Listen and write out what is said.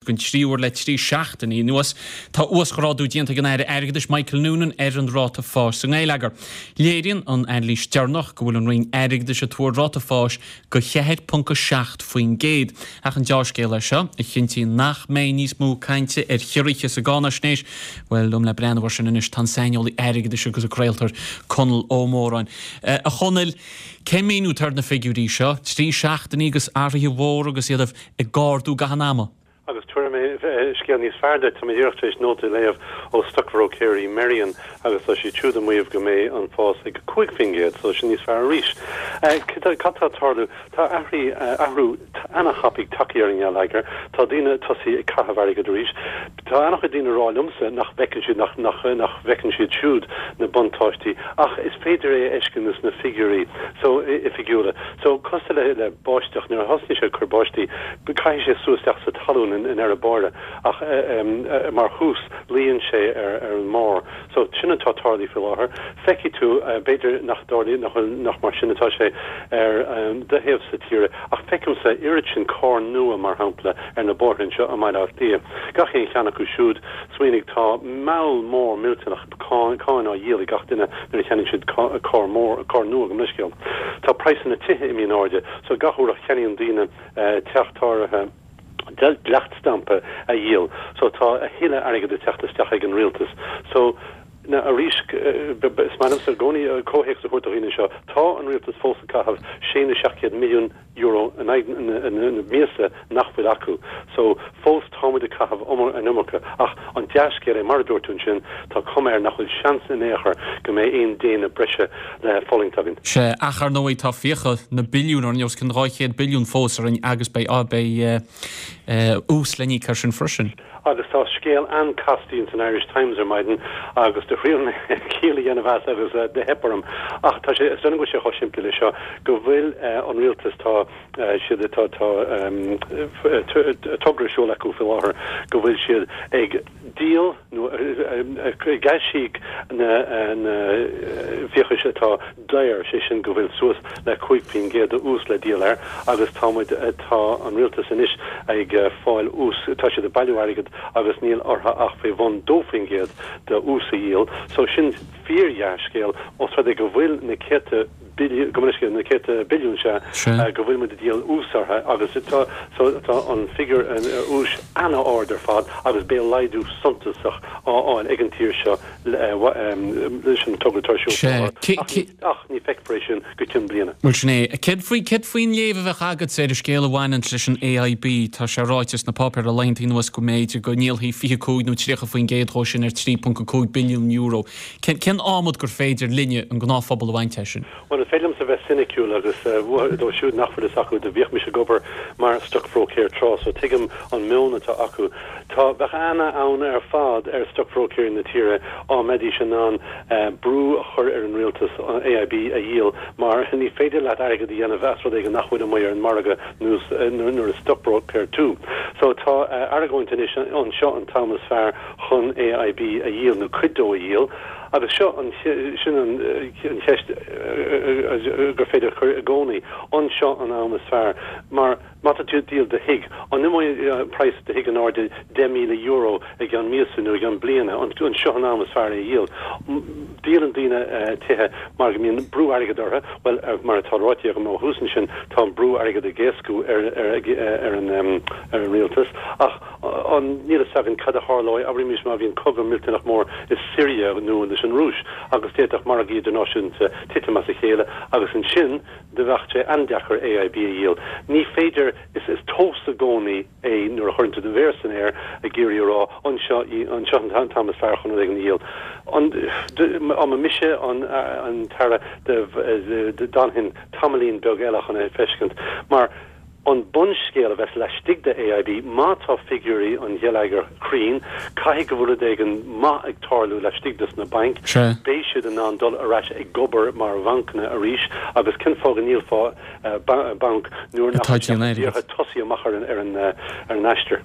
Den tríú huair le 3 seachtainí anuas, tá uasghrádú déanta ag an Aire Airgeadais Michael Noonan ar an ráta fáis sa ngeilleagar. Léiríonn an anailís deireanach go bhfuil an Roinn Airgeadais ag tuar ráta fáis de 4.7%. Ach an deá-scéal é seo, a chinntíonn nach mbeidh níos mó cainte ar chiorruithe sa gcáinaisnéis? Bhuel, liom le breathnú air sin anois tá an saineolaí airgeadais agus an craoltóir Conall Ó Móráin. A Chonaill, cén míniú atá ar na figiúirí seo? 3 seachtainí agus athruithe mhóra agus iad ag ardú gach aon ama. Agus tabharfaidh mé scéal níos fearr duit, tá mé díreach tar éis nóta a léamh ó stocbhróicéirí Merrion agus tá siad siúd ag maíomh go mbeidh an fás ag 5%, so sin níos fearr arís. Cad atá ag tarlú? Tá athraí, athrú ana-thapaidh tagtha ar an ngeilleagar, tá daoine ag tosaí ag caitheamh airgid arís. Tá an-chuid daoine ag rá liomsa nach bhfeiceann siad, nach, nach, nach bhfeiceann siad siúd na buntáistí ach is féidir é a fheiscint sna figiúirí so, oifigiúla. So, cosúil le, le báisteach, nuair a thosnaíonn sé ag cur báistí, caithfidh sé sú isteach sa talún i ndeireadh báire ach mar thús luíonn sé ar, ar an mbarr. So, sin atá tarlaithe faoi láthair. Feicfidh tú, b'fhéidir nach dtarlaíonn, nach bhfuil, nach mar sin atá sé ar do thaobhsa tíre ach feicimse oiread sin carr nua, mar shampla, ar na bóithre anseo i mBaile Átha Cliath. Gach aon cheann acu siúd, smaoinigh, tá moll mór millteanach cáin á dhíol ag gach duine nuair a cheannaíonn siad carr mór, carr nua, gabh mo leithscéal. Tá praghsanna tithe imithe in airde, so gach uair a cheannaíonn daoine teach tá orthu dleacht stampa a dhíol, so tá a thuilleadh airgid ag teacht isteach ag an rialtas. So, na, arís, is maith liomsa i gcónaí comhthéacs a thabhairt do dhaoine anseo, tá an rialtas fós ag caitheamh sé nó 700 milliún euro in aghaidh na míosa nach bhfuil acu. So, fós táimid ag caitheamh an iomarca. Ach an dea-scéal é, mar a dúirt tú ansin, tá cuma air nach bhfuil seans in aon chor go mbeidh aon déine breise le fulaingt againn. Sea, ach ar ndóigh tá fiacha na billiún orainn, os cionn 200 billiún fós orainn agus beidh, beidh ús le n-íoc air sin freisin. Agus tá scéal an-casta ins an Irish Times ar maidin agus do thriail mé ciall a dhéanamh as agus do theip orm. Ach tá sé, is dóigh liom go bhfuil sé chomh simplí le seo, go bhfuil an rialtas, tá siad, tá, tá togra ar siúl acu faoi láthair go bhfuil siad ag díol nó ag aisíoc na na fiachais atá daor, sé sin go bhfuil suas le 5% de ús le díol air agus tá muid, tá an rialtas anois ag fáil ús, tá siad ag bailiú airgead agus níl orthu ach faoi bhun 2% de ús a dhíol. So sin fíor-dhea-scéal os rud é go bhfuil na céadta billiún, gabh mo leithscéal, na céadta billiún sea, go bhfuil muid ag díol ús orthu agus tá, so tá an figiúr úis ana-ard ar fad agus beidh laghdú suntasach á fháil ag an tír seo leis an togra atá ar siúl faoi láthair, ach ní feicfear é sin go cionn bliana. Bhuel, sin é. Céard faoi, céard faoin léamh a bheadh agatsa ar an scéal a bhaineann leis an AIB? Tá sé ráite sna páipéir le laethanta anuas go mb'fhéidir go ndíolfaí 25 nó 30% dhó sin ar €3.5 billiún. Cén, cén adhmad gur féidir linne, an gnáthphobal, a bhaint as sin? Bhuel, is féidir liomsa bheith soiniciúil agus dóibh siúd nach bhfuil fhios acu, do bhíodh mise ag obair mar stocbhróicéir tráth, so tuigim an meon atá acu. Tá, bheadh ana-fhonn ar fad ar stocbhróicéirí na tíre á mbeidís in ann brú a chur ar an rialtas an AIB a dhíol mar ní féidir leat airgead a dhéanamh as rud éigin nach bhfuil amuigh ar an margadh nuair is stocbhróicéir tú. So tá argóint anois an seo an t-am is fearr chun AIB a dhíol nó cuid dó a dhíol agus seo an, sin an cheist gur féidir a chur i gcónaí, an seo an am is fearr mar Má tá tú ag díol do thigh, an imeoidh praghas do thigh in airde €10,000 i gceann míosa nó i gceann bliana? An seo an am is fearr é a dhíol? Díolann daoine tithe mar go mbíonn brú airgid orthu. Bhuel, mar atá ráite agam ó thús ansin, tá an brú airgid ag éascú ar an rialtas. Ach níl a fhios againn cad a tharlóidh, abraimis má bhíonn cogadh millteanach mór i Siria nó leis an Rúis agus d'fhéadfadh margaí idirnáisiúnta titim as a chéile agus ansin, Do bheadh sé an-deacair AIB a dhíol. Ní féidir, is is tomhas i gcónaí é nuair a chuireann tú do mhéar san aer ag iarraidh a rá, an seo an seo an t-am is fearr chun rud éigin a dhíol. An dá mba mise an an tAire d'fhanfainn tamaillín beag eile chun é a feiscint. Mar an bunscéal a bheas laistigh de AIB, má tá figiúirí an gheilleagair cruinn, caithfidh go bhfuil rud éigin maith ag tarlú laistigh des na bainc, beidh siad in ann dul ar ais ag obair mar bhancanna arís agus cén fáth go ndíolfá banc nuair nach bhfuil sé díreach ag tosaí amach ar an aistear?